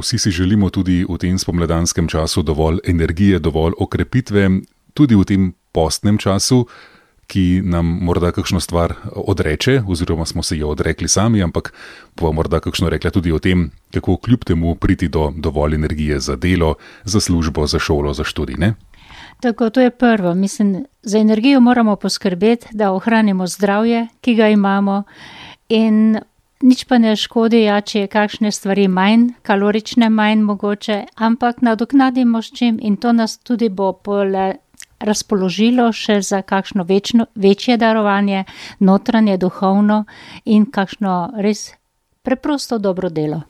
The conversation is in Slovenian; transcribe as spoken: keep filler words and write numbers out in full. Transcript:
Vsi si želimo tudi v tem spomladanskem času dovolj energije, dovolj okrepitve, tudi v tem postnem času, ki nam morda kakšno stvar odreče, oziroma smo se jo odrekli sami, ampak bova morda kakšno rekla tudi o tem, kako kljub temu priti do dovolj energije za delo, za službo, za šolo, za študij, ne? Tako, to je prvo. Mislim, za energijo moramo poskrbeti, da ohranimo zdravje, ki ga imamo, in nič pa ne škodi, ja, če je kakšne stvari manj, kalorične manj mogoče, ampak nadoknadimo s čim in to nas tudi bo pole razpoložilo še za kakšno večno, večje darovanje, notranje, duhovno in kakšno res preprosto dobro delo.